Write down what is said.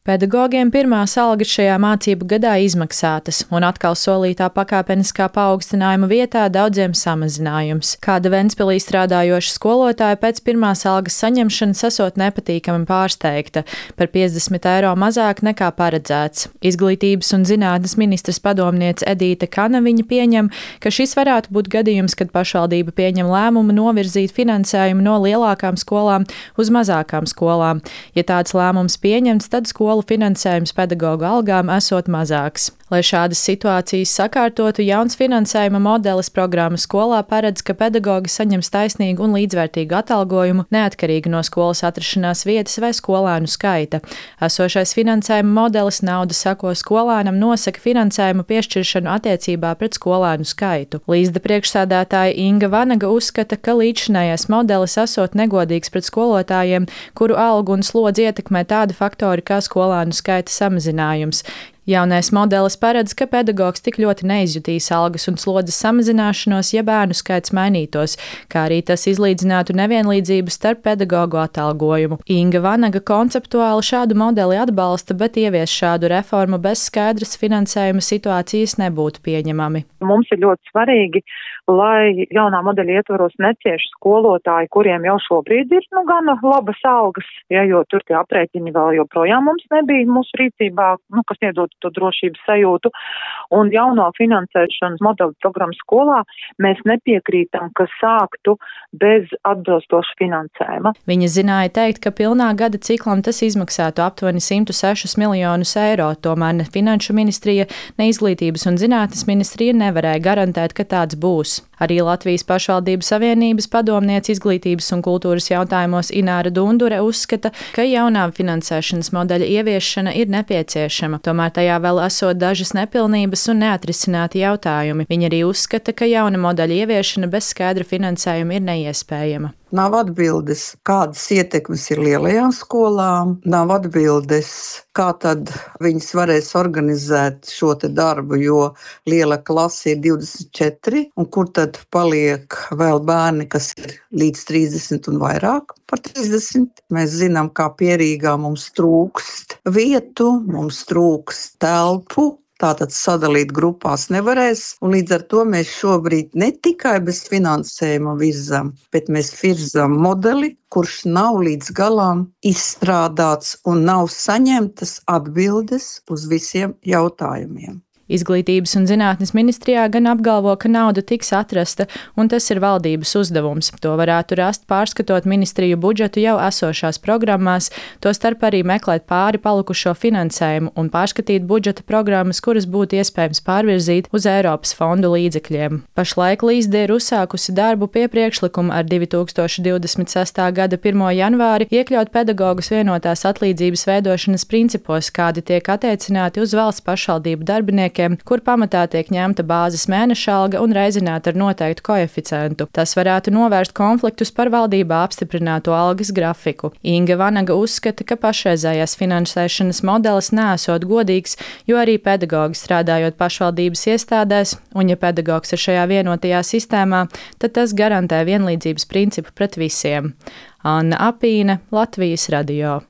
Pedagogiem pirmās algas šajā mācību gadā izmaksātas, un atkal solītā pakāpeniskā paaugstinājuma vietā daudziem samazinājums. Kāda Ventspilī strādājoša skolotāja pēc pirmās algas saņemšanas esot nepatīkami pārsteigta par 50 eiro mazāk nekā paredzēts. Izglītības un zinātnes ministres padomniece Edīte Kanaviņa pieņem, ka šis varētu būt gadījums, kad pašvaldība pieņem lēmumu novirzīt finansējumu no lielākām skolām uz mazākām skolām. Ja tāds lēmums pieņemts, tad skolu finansējums pedagoģu algām esot mazāks. Lai šādas situācijas sakārtotu, jauns finansējuma modelis programmas skolā paredz, ka pedagoģi saņems taisnīgu un līdzvērtīgu atalgojumu neatkarīgi no skolas atrašanās vietas vai skolēnu skaita. Esošais finansējuma modelis naudu sako skolēnam nosaka finansējumu piešķiršanu attiecībā pret skolēnu skaitu. Līsda priekšsēdētāja Inga Vanaga uzskata, ka līdzšinējais modelis esot negodīgs pret skolotājiem, kuru algu un slodzi ietekmē tādi faktori kā skolēnu skaita samazinājums. Jaunais modelis paredz, ka pedagogs tik ļoti neizjutīs algas un slodzes samazināšanos, ja bērnu skaits mainītos, kā arī tas izlīdzinātu nevienlīdzību starp pedagoģu atalgojumu. Inga Vanaga konceptuāli šādu modeli atbalsta, bet ievies šādu reformu bez skaidras finansējuma situācijas nebūtu pieņemami. Mums ir ļoti svarīgi, lai jaunā modeļa ietvaros necieš skolotāji, kuriem jau šobrīd ir gana labas algas, jo tur tie aprēķini vēl joprojām mums nebija mūsu rīcībā, kas iedod to drošības sajūtu. Un jauno finansēšanas modeli programmu skolā mēs nepiekrītam, ka sāktu bez atbilstoša finansējuma. Viņa zināja teikt, ka pilnā gada ciklam tas izmaksātu aptuveni 106 miljonus eiro, tomēr ne Finanšu ministrija, ne Izglītības un zinātnes ministrija nevarēja garantēt, ka tāds būs. Arī Latvijas pašvaldību savienības padomniece izglītības un kultūras jautājumos Ināra Dundure uzskata, ka jaunā finansēšanas modeļa ieviešana ir nepieciešama, tomēr tajā vēl esot dažas nepilnības un neatrisināti jautājumi. Viņa arī uzskata, ka jauna modeļa ieviešana bez skaidra finansējuma ir neiespējama. Nav atbildes, kādas ietekmes ir lielajām skolām, nav atbildes, kā tad viņas varēs organizēt šo te darbu, jo liela klase ir 24, un kur tad paliek vēl bērni, kas ir līdz 30 un vairāk par 30. Mēs zinām, kā Pierīgā mums trūkst vietu, mums trūkst telpu. Tātad sadalīt grupās nevarēs, un līdz ar to mēs šobrīd ne tikai bez finansējuma virzam, bet mēs virzam modeli, kurš nav līdz galām izstrādāts un nav saņemtas atbildes uz visiem jautājumiem. Izglītības un zinātnes ministrijā gan apgalvo, ka nauda tiks atrasta, un tas ir valdības uzdevums. To varētu rast pārskatot ministriju budžetu jau esošās programmās, tostarp arī meklēt pāri palikušo finansējumu un pārskatīt budžeta programmas, kuras būtu iespējams pārvirzīt uz Eiropas fondu līdzekļiem. Pašlaik Līsde ir uzsākusi darbu pie priekšlikuma ar 2026. gada 1. janvāri iekļaut pedagogus vienotās atlīdzības veidošanas principos, kādi tiek attiecināti uz valsts pašvaldību darbiniekiem, kur pamatā tiek ņemta bāzes mēneša alga un reizināta ar noteiktu koeficientu. Tas varētu novērst konfliktus par valdībā apstiprināto algas grafiku. Inga Vanaga uzskata, ka pašreizējās finansēšanas modelis nesot godīgs, jo arī pedagogi strādājot pašvaldības iestādēs, un ja pedagogs ir šajā vienotajā sistēmā, tad tas garantē vienlīdzības principu pret visiem. Anna Apīne, Latvijas radio.